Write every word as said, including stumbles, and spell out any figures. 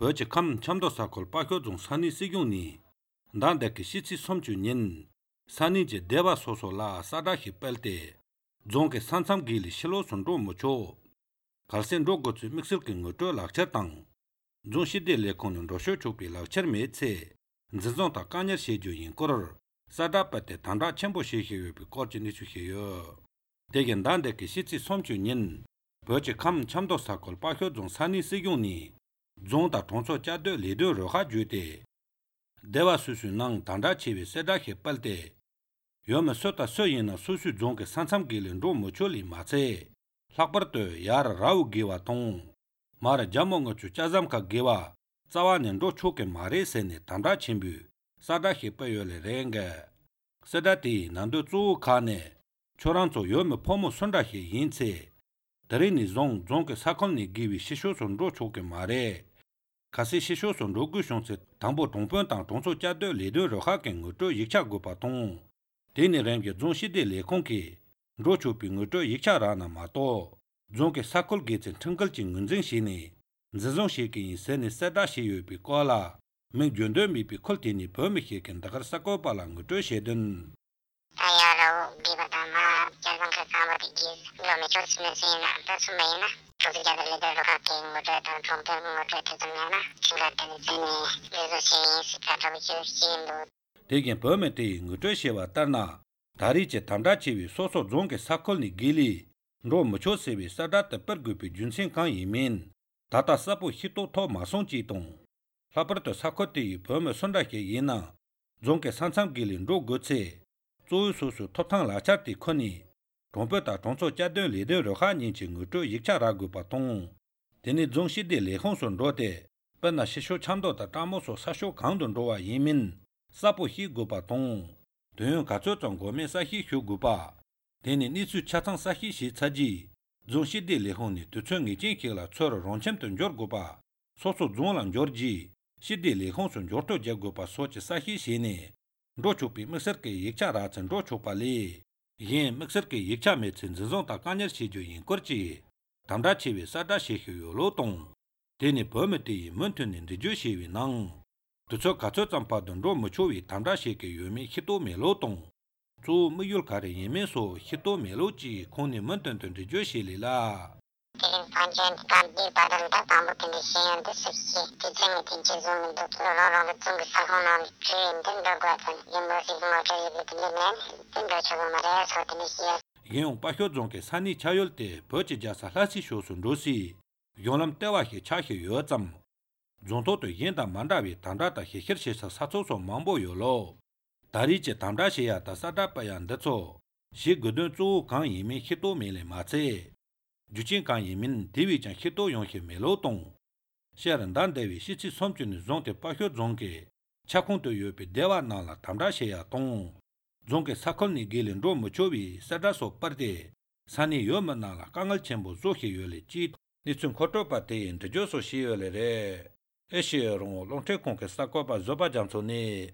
버치 캄 참도 사콜 빠교 중 산이 시경니 난데키 시치 섬주닌 산이제 대바 소소라 사다히 뺄때 종게 산삼길이 실로 손도 무초 갈센 로고츠 믹슬킹 것도 락차땅 종시데 레콘은 로쇼 쪽비 락처메체 nzizonta kanyar sheju yin koror sada pate tanda chenpo sheheyo bi korchi nichu heyo degen dande ki shitsi somchu nin boche kam chamdo sakol pakyo zong sani sigyon ni zonta tongso chado lido roha juete dewa susu nang tanda chewe seda he palte yome sota so yin na susu zongke sansam gilin ro mocho li matse lakbar to yara rao gewa tong mara jamo ngo chu chazam ka gewa Zawanen ro choke mare sene tanda chimbu sada hepa yole renga sada ti nando zu kane choranzo yome pomo sonda he yinse darini zong zongke sakon ni giwi shisho son ro choke mare kasi shisho son ro gu shonse tangbo tongpon tang tongso chado le do ro ha ken ngoto yikcha go pa tong deni renga zong shide le konki ro chopi ngoto yikcha rana ma to zongke sakol gechen tengkal chi ngunzeng shini Zizong shiki seni sada shiyo pi kola, ming jondo mi pi koltini pomi hikin dakar sako pala nguto shedun. Ayaro gibata ma jazang ka kama di giz, lo me chos me sina, ta sumayna, tosi jada lido roka ki nguto ta trompe nguto te zungana, chinga tani seni lido shi sika tabi chiyo shindo. Degin pomi te nguto shewa tarna, dari che tanda chewi soso zongke sakol ni gili, ro mucho sewi sada tapar gupi junsin kan yimin. Tata sapu hito to masong jitong. Laparto sakoti pome sondake yina, zonke sansam gilin ro goche, zoyu susu toptang lachati koni, rompeta tongso jadon lido roha ninchi nguto yikcha ragu patong. Teni zongshi de lehong son rote, pena shisho chando ta tamoso sasho kangdon rowa yimin, sapu hi gu patong. Donyon kacho zong gome sahi hyo gu pa, teni nisu chatang sahi shi chaji, zongshi de lehong ni tucho ngi jinki la tsoro ronchem ton jor gopa, soso zonglan jorji, shi de lehong son jorto je gopa sochi sahi shene, rochopi miksarke yikcha rachan rochopa li, yin miksarke yikcha metsin zizong ta kanyar shi jo yin korchi, tamda chewe sada shekyo yo lo tong, teni pomete yi muntun nin rijo shewe nang, tucho kacho zampa don ro muchowi tamda shekyo yo mi hito me lo tong, zu miyul kare yemen so hito melo chi koni muntan tun rijo shili la. Tirin panchen kambi badan da kambu kindi shiyan da sushi, ti zengi tinchi zungi do kilo loro lo zungi sakon na chuyin den do guatan, yemo si mo kari bikini men, den do chogo maraya so tini shiya. Yeong pakyo zonke sani chayol te pochi jasa lasi shosun rosi, yonglam tewa he chahe yo zam. Zonto to yenda mandawi tandata he hirshesa satso so mambo yo lo. Dari che tamda sheya ta sada payan datso, shi gudun zu kang yimin hito mele matse. Juchin kang yimin diwi chan hito yonghe melo tong. Sherandan dewi shichi somchuni zonte pakyo zonke, chakung to yopi dewa nala tamda sheya tong. Zonke sakol ni gilin ro mochowi sada so parde, sani yoma nala kangal chenpo zohe yole chit, nitsun koto pa teyin tajo so shi yole re. Eshe rongo longche kongke sakopa zoba jamso ne.